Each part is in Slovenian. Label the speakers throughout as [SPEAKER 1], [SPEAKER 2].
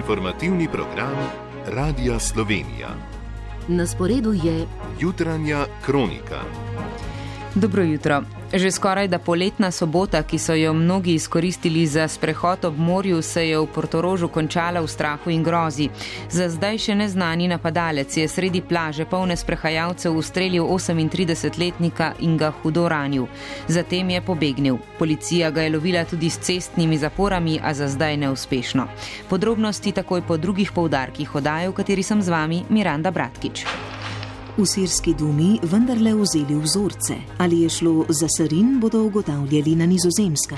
[SPEAKER 1] Informativni program Radia Slovenija.
[SPEAKER 2] Na sporedu je
[SPEAKER 1] Jutranja kronika.
[SPEAKER 3] Dobro jutro. Že skoraj da poletna sobota, ki so jo mnogi izkoristili za sprehod ob morju, se je v Portorožu končala v strahu in grozi. Za zdaj še neznani napadalec je sredi plaže polne sprehajalcev ustrelil 38-letnika in ga hudo ranil. Zatem je pobegnil. Policija ga je lovila tudi s cestnimi zaporami, a za zdaj neuspešno. Podrobnosti takoj po drugih poudarkih oddaje, v kateri sem z vami Miranda Bratkič.
[SPEAKER 2] v sirski dumi vendarle vzeli vzorce. Ali je šlo za sarin, bodo ugotavljali na Nizozemskem.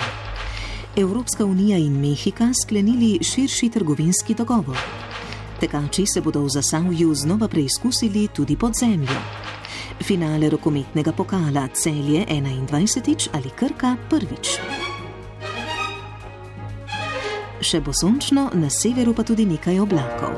[SPEAKER 2] Evropska unija in Mehika sklenili širši trgovinski dogovor. Tekači se bodo v Zasavju znova preizkusili tudi pod zemljo. Finale rokometnega pokala Celje 21. ali Krka prvič. Še bo sončno, na severu pa tudi nekaj oblakov.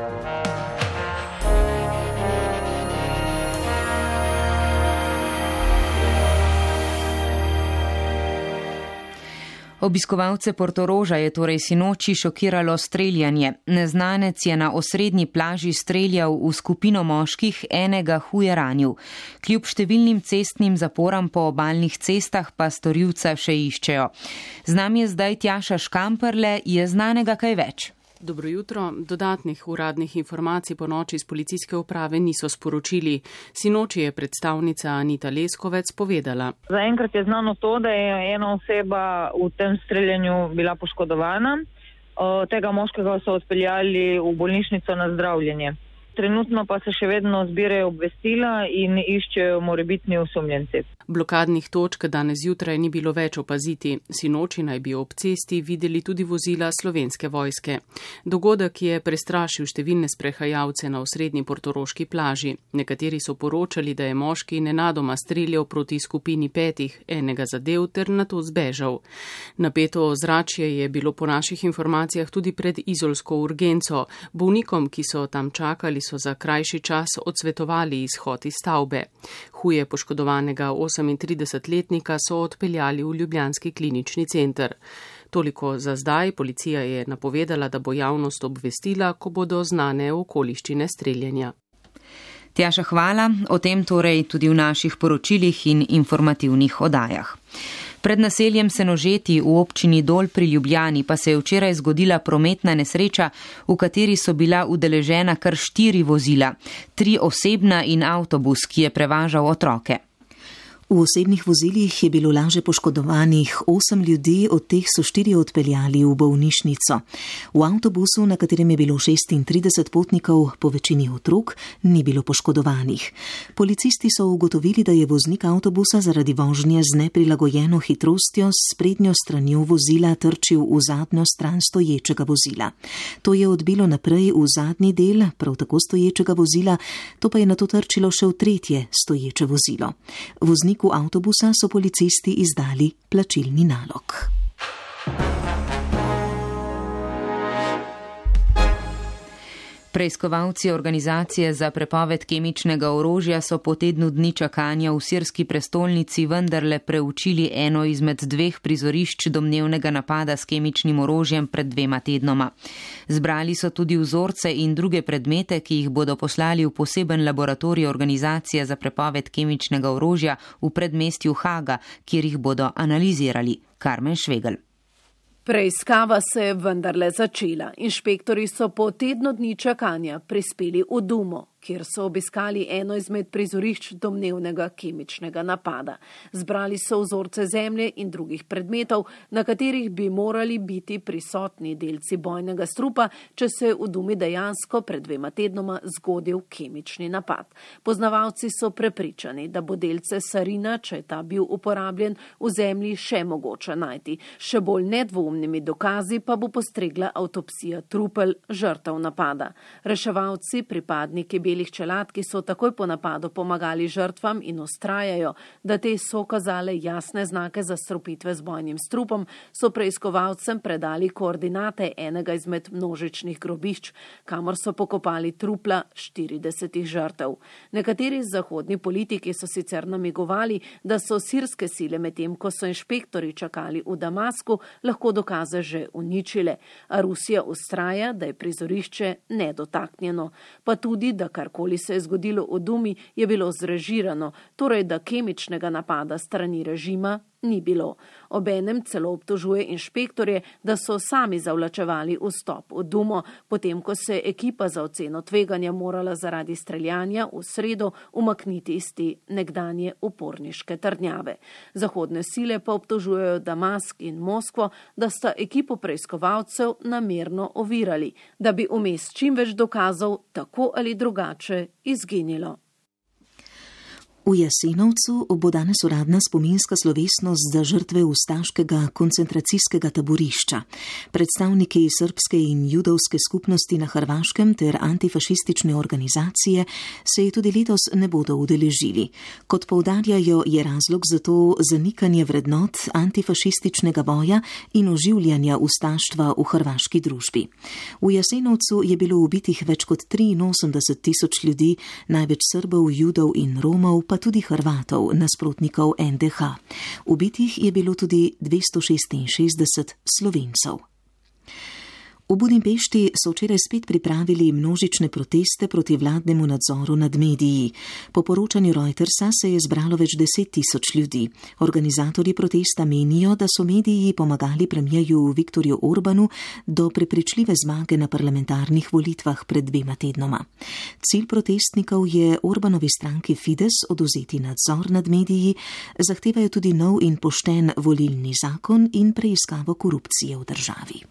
[SPEAKER 3] Obiskovalce Portoroža je torej sinoči šokiralo streljanje. Neznanec je na osrednji plaži streljal v skupino moških, enega huje ranil. Kljub številnim cestnim zaporam po obalnih cestah pa storilca še iščejo. Z nami je zdaj Tjaša Škamperle, je znanega kaj več?
[SPEAKER 4] Dobro jutro. Dodatnih uradnih informacij po noči iz policijske uprave niso sporočili. Sinoči je predstavnica Anita Leskovec povedala.
[SPEAKER 5] Zaenkrat je znano to, da je ena oseba v tem streljanju bila poškodovana. Tega moškega so odpeljali v bolnišnico na zdravljenje. Trenutno pa se še vedno zbirajo obvestila in iščejo morebitni osumljenci.
[SPEAKER 4] Blokadnih točk danes zjutraj ni bilo več opaziti. Sinoči naj bi ob cesti videli tudi vozila Slovenske vojske. Dogodek je prestrašil številne sprehajalce na osrednji portoroški plaži. Nekateri so poročali, da je moški nenadoma streljal proti skupini 5, enega zadev ter nato zbežal. Napeto ozračje je bilo po naših informacijah tudi pred izolsko urgenco. Bolnikom, ki so tam čakali, so za krajši čas odsvetovali izhod iz stavbe. Huje poškodovanega 38-letnika so odpeljali v ljubljanski klinični center. Toliko za zdaj. Policija je napovedala, da bo javnost obvestila, ko bodo znane okoliščine streljanja.
[SPEAKER 3] Tjaša, hvala. O tem torej tudi v naših poročilih in informativnih oddajah. Pred naseljem Senožeti v občini Dol pri Ljubljani pa se je včeraj zgodila prometna nesreča, v kateri so bila udeležena kar 4 vozila, 3 osebna in avtobus, ki je prevažal otroke.
[SPEAKER 2] V osebnih vozilih je bilo laže poškodovanih 8 ljudi, od teh so 4 odpeljali v bolnišnico. V avtobusu, na katerem je bilo 36 potnikov, po večini otrok, ni bilo poškodovanih. Policisti so ugotovili, da je voznik avtobusa zaradi vožnje z neprilagojeno hitrostjo s sprednjo stranjo vozila trčil v zadnjo stran stoječega vozila. To je odbilo naprej v zadnji del, prav tako stoječega vozila, to pa je nato trčilo še v tretje stoječe vozilo. Vozniku avtobusa so policisti izdali plačilni nalog.
[SPEAKER 3] Preiskovalci organizacije za prepoved kemičnega orožja so po tednu dni čakanja v sirski prestolnici vendarle preučili eno izmed 2 prizorišč domnevnega napada s kemičnim orožjem pred 2 tednoma. Zbrali so tudi vzorce in druge predmete, ki jih bodo poslali v poseben laboratorij organizacije za prepoved kemičnega orožja v predmestju Haga, kjer jih bodo analizirali. Karmen Švegel.
[SPEAKER 6] Preiskava se je vendarle začela. Inšpektori so po tednu dni čakanja prispeli v Dumo, kjer so obiskali eno izmed prizorišč domnevnega kemičnega napada. Zbrali so vzorce zemlje in drugih predmetov, na katerih bi morali biti prisotni delci bojnega strupa, če se je v Dumi dejansko pred 2 tednoma zgodil kemični napad. Poznavalci so prepričani, da bo delce sarina, če je ta bil uporabljen, v zemlji še mogoče najti. Še bolj nedvoumnimi dokazi pa bo postregla avtopsija trupel žrtev napada. Reševalci, pripadniki belih čelad, ki so takoj po napadu pomagali žrtvam in ustrajajo, da te so kazale jasne znake zastrupitve z bojnim strupom, so preiskovalcem predali koordinate enega izmed množičnih grobišč, kamor so pokopali trupla 40 žrtev. Nekateri zahodni politiki so sicer namigovali, da so sirske sile medtem, ko so inšpektori čakali v Damasku, lahko dokaze že uničile, a Rusija ustraja, da je prizorišče nedotaknjeno, pa tudi, da karkoli se je zgodilo v Dumi, je bilo zrežirano, torej da kemičnega napada strani režima ni bilo. Obenem celo obtožuje inšpektorje, da so sami zavlačevali vstop v Dumo, potem ko se je ekipa za oceno tveganja morala zaradi streljanja v sredo umakniti iz te nekdanje uporniške trdnjave. Zahodne sile pa obtožujejo Damask in Moskvo, da sta ekipo preiskovalcev namerno ovirali, da bi vmes čim več dokazov tako ali drugače izginilo.
[SPEAKER 2] V Jasenovcu bo danes uradna spominska slovesnost za žrtve ustaškega koncentracijskega taborišča. Predstavniki srbske in judovske skupnosti na Hrvaškem ter antifašistične organizacije se je tudi letos ne bodo udeležili. Kot poudarjajo, je razlog za to zanikanje vrednot antifašističnega boja in oživljanja ustaštva v hrvaški družbi. V Jasenovcu je bilo ubitih več kot 83,000 ljudi, največ Srbov, Judov in Romov, pa tudi Hrvatov, nasprotnikov NDH. Ubitih je bilo tudi 266 Slovencev. V Budimpešti so včeraj spet pripravili množične proteste proti vladnemu nadzoru nad mediji. Po poročanju Reutersa se je zbralo več 10,000 ljudi. Organizatorji protesta menijo, da so mediji pomagali premierju Viktorju Orbanu do prepričljive zmage na parlamentarnih volitvah pred 2 tednoma. Cilj protestnikov je Orbanovi stranki Fides odvzeti nadzor nad mediji, zahtevajo tudi nov in pošten volilni zakon in preiskavo korupcije v državi.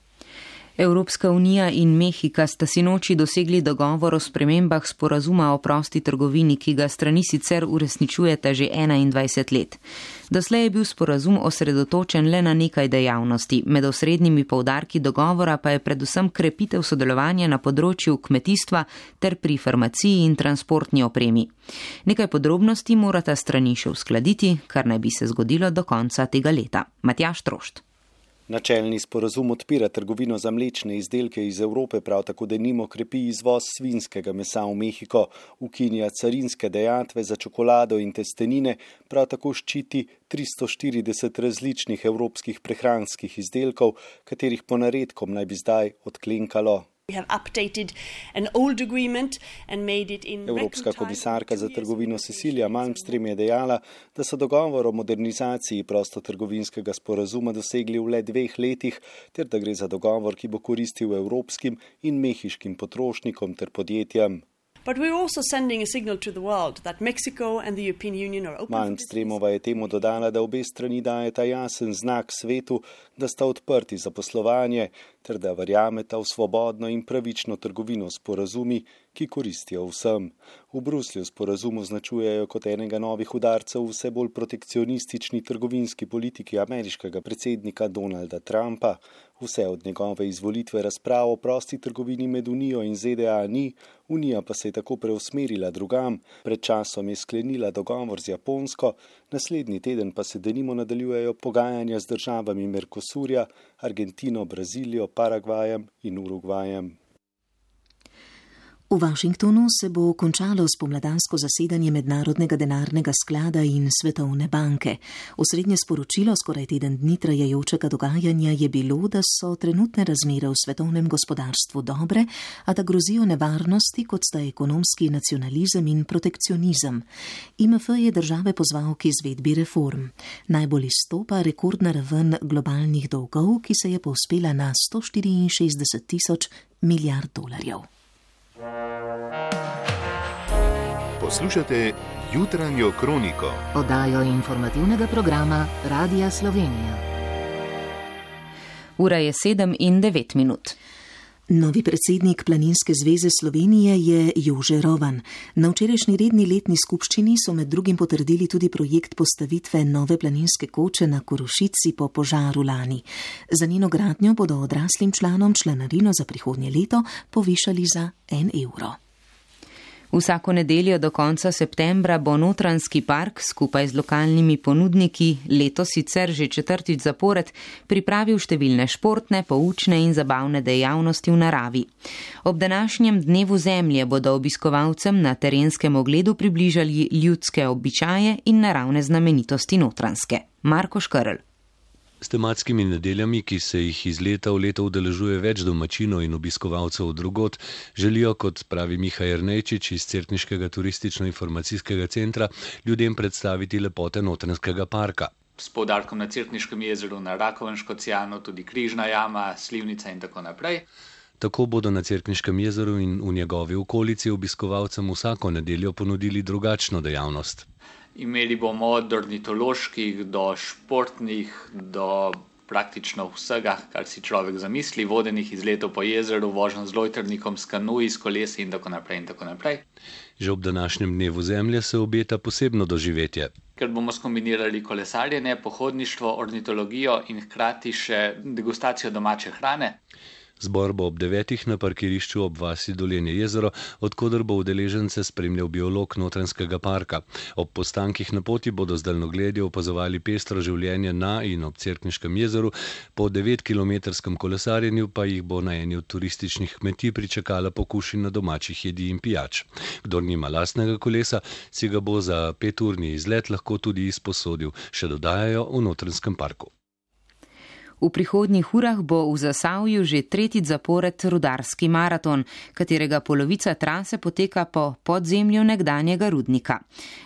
[SPEAKER 3] Evropska unija in Mehika sta sinoči dosegli dogovor o spremembah sporazuma o prosti trgovini, ki ga strani sicer uresničujeta že 21 let. Doslej je bil sporazum osredotočen le na nekaj dejavnosti, med osrednjimi poudarki dogovora pa je predvsem krepitev sodelovanja na področju kmetijstva ter pri farmaciji in transportni opremi. Nekaj podrobnosti morata strani še uskladiti, kar naj bi se zgodilo do konca tega leta. Matjaž Trošt.
[SPEAKER 7] Načelni sporazum odpira trgovino za mlečne izdelke iz Evrope, prav tako denimo krepi izvoz svinjskega mesa v Mehiko, ukinja carinske dajatve za čokolado in testenine, prav tako ščiti 340 različnih evropskih prehranskih izdelkov, katerih ponaredkom naj bi zdaj odklenkalo. Evropska komisarka za trgovino Cecilia Malmström je dejala, da so dogovor o modernizaciji prostotrgovinskega sporazuma dosegli v le 2 letih, ter da gre za dogovor, ki bo koristil evropskim in mehiškim potrošnikom ter podjetjem. Malmströmova je temu dodala, da obe strani dajeta jasen znak svetu, da sta odprti za poslovanje, ter da verjameta v svobodno in pravično trgovino s sporazumi, ki koristijo vsem. V Bruslju sporazum označujejo kot enega novih udarcev vse bolj protekcionistični trgovinski politiki ameriškega predsednika Donalda Trumpa. Vse od njegove izvolitve razprav o prosti trgovini med Unijo in ZDA ni, Unija pa se je tako preusmerila drugam. Pred časom je sklenila dogovor z Japonsko, naslednji teden pa se denimo nadaljujejo pogajanja z državami Mercosurja, Argentino, Brazilijo, Paragvajem in Urugvajem.
[SPEAKER 2] V Washingtonu se bo končalo spomladansko zasedanje Mednarodnega denarnega sklada in Svetovne banke. Osrednje sporočilo skoraj teden dni trajajočega dogajanja je bilo, da so trenutne razmere v svetovnem gospodarstvu dobre, a da grozijo nevarnosti, kot sta ekonomski nacionalizem in protekcionizem. IMF je države pozval k izvedbi reform. Najbolj izstopa rekordna raven globalnih dolgov, ki se je povzpela na 164,000 milijard dolarjev.
[SPEAKER 1] Poslušate Jutranjo kroniko,
[SPEAKER 8] oddajo informativnega programa Radia Slovenija.
[SPEAKER 3] Ura je 7:09.
[SPEAKER 2] Novi predsednik Planinske zveze Slovenije je Jože Rovan. Na včerajšnji redni letni skupščini so med drugim potrdili tudi projekt postavitve nove planinske koče na Korošici po požaru lani. Za njeno gradnjo bodo odraslim članom članarino za prihodnje leto povišali za 1 evro.
[SPEAKER 3] Vsako nedeljo do konca septembra bo Notranjski park skupaj z lokalnimi ponudniki, letos sicer že 4. zapored, pripravil številne športne, poučne in zabavne dejavnosti v naravi. Ob današnjem dnevu zemlje bodo obiskovalcem na terenskem ogledu približali ljudske običaje in naravne znamenitosti Notranjske. Marko Škrl.
[SPEAKER 9] S tematskimi nedeljami, ki se jih iz leta v leto udeležuje več domačinov in obiskovalcev drugod, želijo, kot pravi Miha Jernejčič iz Cerkniškega turistično-informacijskega centra, ljudem predstaviti lepote Notranjskega parka.
[SPEAKER 10] S poudarkom na Cerkniškem jezeru, na Rakovem Škocjanu, tudi Križna jama, Slivnica in tako naprej.
[SPEAKER 9] Tako bodo na Cerkniškem jezeru in v njegovi okolici obiskovalcem vsako nedeljo ponudili drugačno dejavnost.
[SPEAKER 10] Imeli bomo od ornitoloških do športnih, do praktično vsega, kar si človek zamisli, vodenih izletov po jezeru, vožnjo z lojtrnikom, s kanuji, s kolesi in tako naprej in tako naprej.
[SPEAKER 9] Že ob današnjem dnevu zemlje se obeta posebno doživetje.
[SPEAKER 10] Ker bomo skombinirali kolesarjenje, pohodništvo, ornitologijo in hkrati še degustacijo domače hrane.
[SPEAKER 9] Zbor bo ob 9. na parkirišču ob vasi Dolenje jezero, odkoder bo udeležence spremljal biolog Notranjskega parka. Ob postankih na poti bodo z daljnogledjo opazovali pestro življenje na in ob Cerkniškem jezeru, po 9-kilometrskem kolesarjenju pa jih bo na eni od turističnih kmetij pričakala pokušina domačih jedi in pijač. Kdor nima lastnega kolesa, si ga bo za 5-urni izlet lahko tudi izposodil, še dodajajo v Notranjskem parku.
[SPEAKER 3] V prihodnjih urah bo v Zasavju že 3. zapored rudarski maraton, katerega polovica trase poteka po podzemlju nekdanjega rudnika.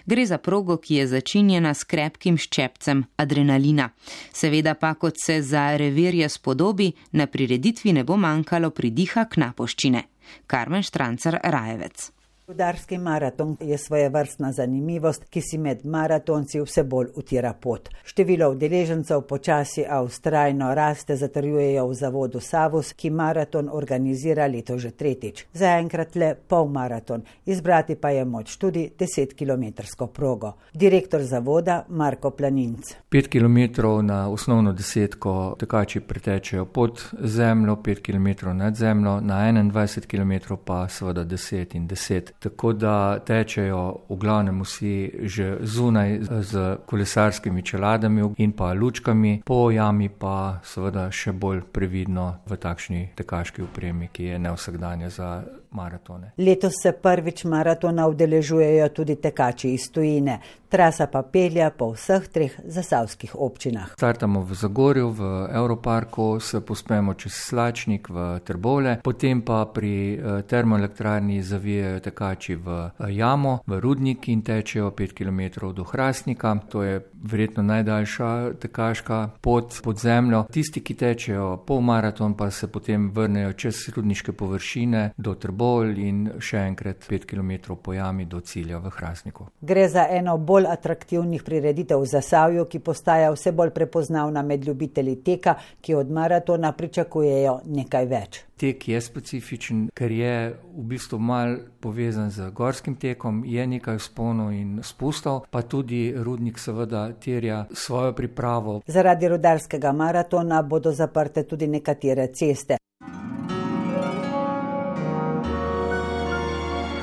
[SPEAKER 3] Gre za progo, ki je začinjena s krepkim ščepcem adrenalina. Seveda pa, kot se za revirje spodobi, na prireditvi ne bo manjkalo pridiha knapoščine. Karmen Štrancar Rajevec.
[SPEAKER 11] Rudarski maraton je svojevrstna zanimivost, ki si med maratonci vse bolj utira pot. Število udeležencev počasi a vztrajno raste, zatrjujejo v zavodu Savus, ki maraton organizira leto že 3. Zaenkrat le polmaraton, izbrati pa je moč tudi 10-kilometrsko progo. Direktor zavoda Marko Planinc.
[SPEAKER 12] 5 kilometrov na osnovno desetko tekači pretečejo pod zemljo, 5 kilometrov nad zemljo, na 21 kilometrov pa seveda 10 in 10. Tako da tečejo v glavnem vsi že zunaj z kolesarskimi čeladami in pa lučkami, po jami pa seveda še bolj previdno v takšni tekaški opremi, ki je nevsakdanja za maratone.
[SPEAKER 11] Letos se prvič maratona udeležujejo tudi tekači iz tujine. Trasa pa pelja po vseh 3 zasavskih občinah.
[SPEAKER 12] Startamo v Zagorju, v Europarku, se pospemo čez Slačnik v Trbovlje, potem pa pri termoelektrarni zavijajo tekači v jamo, v rudnik in tečejo 5 km do Hrastnika. To je verjetno najdaljša tekaška pot pod zemljo. Tisti, ki tečejo polmaraton, pa se potem vrnejo čez rudniške površine do Trbovlj in še enkrat 5 km po jami do cilja v Hrastniku.
[SPEAKER 11] Gre za eno bolj atraktivnih prireditev v Zasavju, ki postaja vse bolj prepoznavna med ljubitelji teka, ki od maratona pričakujejo nekaj več.
[SPEAKER 12] Tek je specifičen, ker je v bistvu mal povezan z gorskim tekom, je nekaj vzponov in spustov, pa tudi rudnik seveda terja svojo pripravo.
[SPEAKER 11] Zaradi rudarskega maratona bodo zaprte tudi nekatere ceste.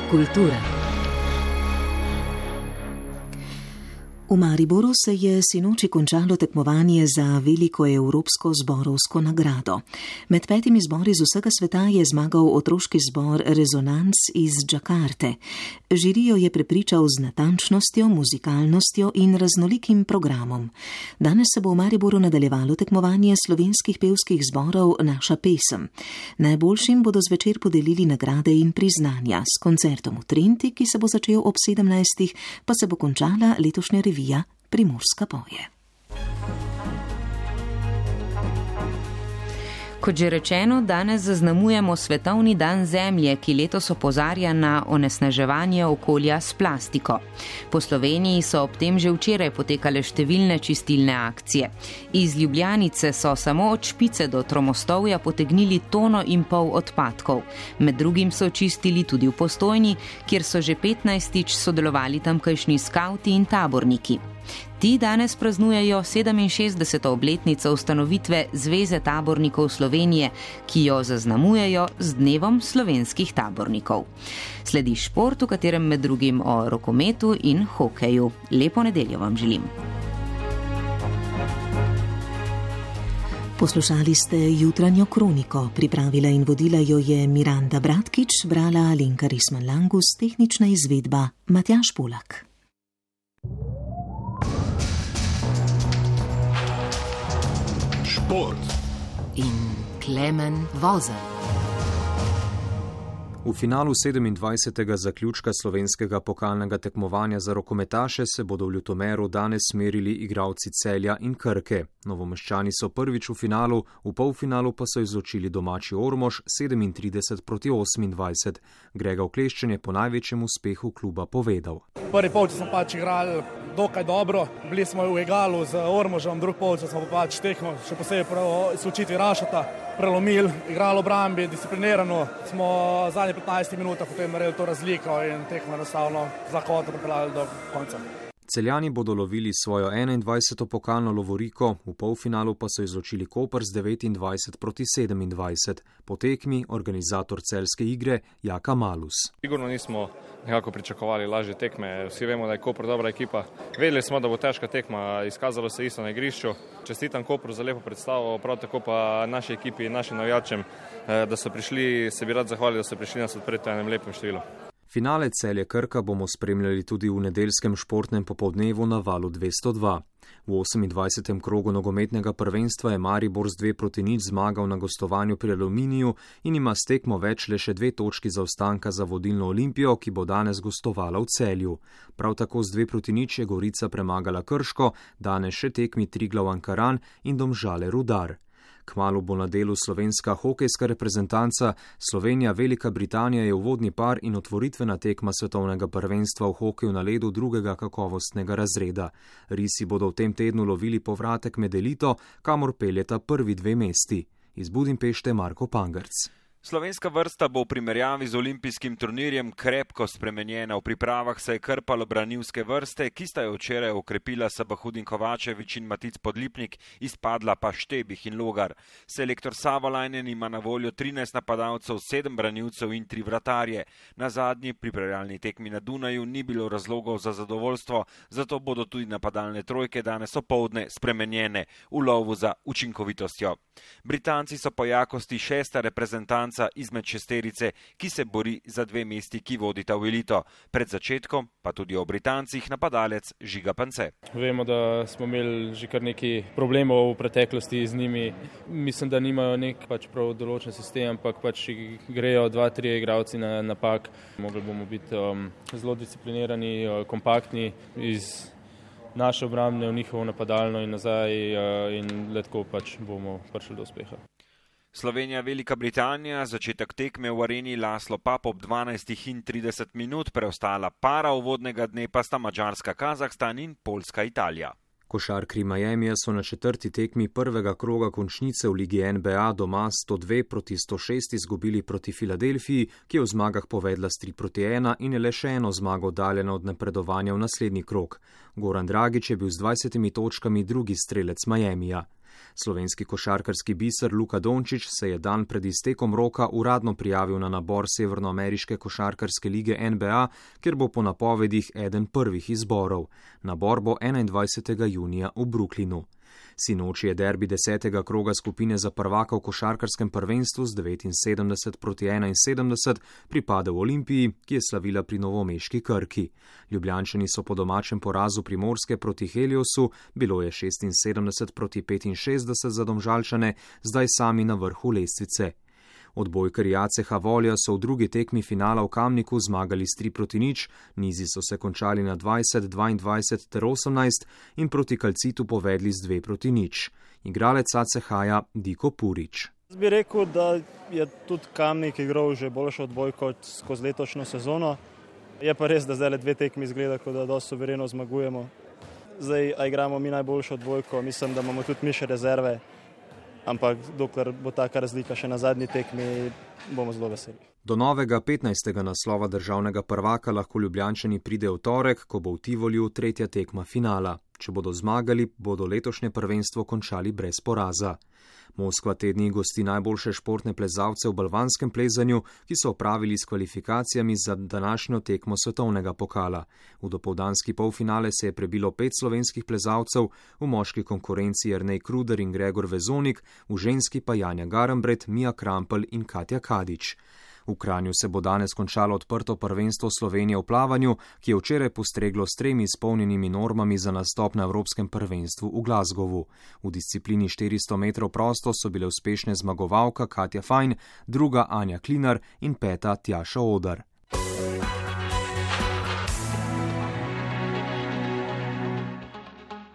[SPEAKER 8] Kultura.
[SPEAKER 2] V Mariboru se je sinoči končalo tekmovanje za veliko evropsko zborovsko nagrado. Med 5 zbori z vsega sveta je zmagal otroški zbor Rezonans iz Džakarte. Žirijo je prepričal z natančnostjo, muzikalnostjo in raznolikim programom. Danes se bo v Mariboru nadaljevalo tekmovanje slovenskih pevskih zborov Naša pesem. Najboljšim bodo zvečer podelili nagrade in priznanja. S koncertom v Trenti, ki se bo začel ob 17. pa se bo končala letošnja revija Primorska poje.
[SPEAKER 3] Kot že rečeno, danes zaznamujemo Svetovni dan Zemlje, ki letos opozarja na onesnaževanje okolja s plastiko. Po Sloveniji so ob tem že včeraj potekale številne čistilne akcije. Iz Ljubljanice so samo od Špice do Tromostovja potegnili 1,5 tone odpadkov. Med drugim so čistili tudi v Postojni, kjer so že 15. sodelovali tamkajšnji skavti in taborniki. Ti danes praznujejo 67. obletnico ustanovitve Zveze tabornikov Slovenije, ki jo zaznamujejo z Dnevom slovenskih tabornikov. Sledi šport, v katerem med drugim o rokometu in hokeju. Lepo nedeljo vam želim.
[SPEAKER 2] Poslušali ste jutranjo kroniko. Pripravila in vodila jo je Miranda Bratkič, brala Alenka Risman-Langus, tehnična izvedba Matjaž Polak.
[SPEAKER 1] Šport
[SPEAKER 8] in Klemen Vozelj.
[SPEAKER 13] V finalu 27. zaključka slovenskega pokalnega tekmovanja za rokometaše se bodo v Ljutomeru danes merili igralci Celja in Krke. Novomeščani so prvič v finalu, v polfinalu pa so izločili domači Ormož 37-28. Grega Okleščen je po največjem uspehu kluba povedal.
[SPEAKER 14] Prvi polčas smo igrali dokaj dobro, bili smo v egalu z Ormožem, drugi polčas smo tekmo, še posebej po izločitvi Rašota, prelomili, igrali obrambi, disciplinirano, smo zadnje 15 minutah potem naredili to razliko in tekmo enostavno za kvota pripeljali do konca.
[SPEAKER 13] Celjani bodo lovili svojo 21. pokalno lovoriko, v polfinalu pa so izločili Koper z 29-27. Po tekmi organizator celjske igre Jaka Malus.
[SPEAKER 15] Sigurno nismo nekako pričakovali lažje tekme, vsi vemo, da je Koper dobra ekipa. Vedeli smo, da bo težka tekma, izkazalo se isto na igrišču. Čestitam Kopru za lepo predstavo, prav tako pa naši ekipi in našim navijačem, da so prišli, se bi rad zahvalil, da so prišli nas odpreti v enem lepem številu.
[SPEAKER 13] Finale Celje Krka bomo spremljali tudi v nedeljskem športnem popoldnevu na Valu 202. V 28. krogu nogometnega prvenstva je Maribor z 2-0 zmagal na gostovanju pri Aluminiju in ima s tekmo več le še 2 točki zaostanka za vodilno Olimpijo, ki bo danes gostovala v Celju. Prav tako z 2-0 je Gorica premagala Krško, danes še tekmi Triglav Ankaran in Domžale Rudar. Kmalu bo na delu slovenska hokejska reprezentanca. Slovenija Velika Britanija je uvodni par in otvoritvena tekma svetovnega prvenstva v hokeju na ledu drugega kakovostnega razreda. Risi bodo v tem tednu lovili povratek med elito, kamor peljeta prvi 2 mesti. Iz Budimpešte Marko Pangrc.
[SPEAKER 16] Slovenska vrsta bo v primerjavi z olimpijskim turnirjem krepko spremenjena. V pripravah se je krpalo branilske vrste, ki sta jo včeraj okrepila Sabahudin Kovačevič in Matic Podlipnik, izpadla pa Štebih in Logar. Selektor Savolajnen ima na voljo 13 napadalcev, 7 branilcev in 3 vratarje. Na zadnji pripravljalni tekmi na Dunaju ni bilo razlogov za zadovoljstvo, zato bodo tudi napadalne trojke danes opoldne spremenjene v lovu za učinkovitostjo. Britanci so po jakosti 6. reprezentanca izmed šesterice, ki se bori za 2 mesti, ki vodita v elito. Pred začetkom pa tudi o Britancih napadalec Žiga Pance.
[SPEAKER 15] Vemo, da smo imeli že kar nekaj problemov v preteklosti z njimi. Mislim, da nimajo nek prav določen sistem, ampak grejo 2-3 igralci na napak. Mogli bomo biti zelo disciplinirani, kompaktni iz naše obrambne v njihovo napadalno in nazaj in letko bomo prišli do uspeha.
[SPEAKER 16] Slovenija Velika Britanija, začetek tekme v areni Laslo Pap ob 12:30 minut, preostala para uvodnega dne pa sta Madžarska, Kazahstan in Poljska, Italija.
[SPEAKER 13] Košarkarji Miamija so na 4. tekmi prvega kroga končnice v ligi NBA doma 102-106 izgubili proti Filadelfiji, ki je v zmagah povedla s 3-1 in je le še eno zmago oddaljena od napredovanja v naslednji krog. Goran Dragić je bil z 20 točkami drugi strelec Miamija. Slovenski košarkarski biser Luka Dončić se je dan pred iztekom roka uradno prijavil na nabor Severnoameriške košarkarske lige NBA, kjer bo po napovedih eden prvih izborov. Nabor bo 21. junija v Brooklynu. Sinoči je derbi 10. kroga skupine za prvaka v košarkarskem prvenstvu z 79-71 pripadel Olimpiji, ki je slavila pri novomeški Krki. Ljubljančani so po domačem porazu Primorske proti Heliosu, bilo je 76-65 za Domžalčane, zdaj sami na vrhu lestvice. Odbojkarji ACH Volja so v drugi tekmi finala v Kamniku zmagali s 3-0, nizi so se končali na 20, 22 ter 18 in proti Kalcitu povedli z 2-0. Igralec ACH-ja Diko Purič.
[SPEAKER 17] Jaz bi rekel, da je tudi Kamnik igral že boljšo odbojko skozi letošnjo sezono. Je pa res, da zdaj le 2 tekmi izgleda, kot da dosti suvereno zmagujemo. Zdaj igramo mi najboljšo odbojko, mislim, da imamo tudi mi še rezerve. Ampak dokler bo taka razlika še na zadnji tekmi, bomo zelo veseli.
[SPEAKER 13] Do novega 15. naslova državnega prvaka lahko Ljubljančani pridejo v torek, ko bo v Tivoliju 3. tekma finala. Če bodo zmagali, bodo letošnje prvenstvo končali brez poraza. Moskva te dni gosti najboljše športne plezalce v balvanskem plezanju, ki so opravili s kvalifikacijami za današnjo tekmo svetovnega pokala. V dopoldanski polfinale se je prebilo 5 slovenskih plezalcev, v moški konkurenci Jernej Kruder in Gregor Vezonik, v ženski pa Janja Garambret, Mija Krampelj in Katja Kadič. V Kranju se bo danes končalo odprto prvenstvo Slovenije v plavanju, ki je včeraj postreglo s 3 izpolnjenimi normami za nastop na Evropskem prvenstvu v Glasgowu. V disciplini 400 metrov prosto so bile uspešne zmagovalka Katja Fajn, druga Anja Klinar in 5. Tjaša Odar.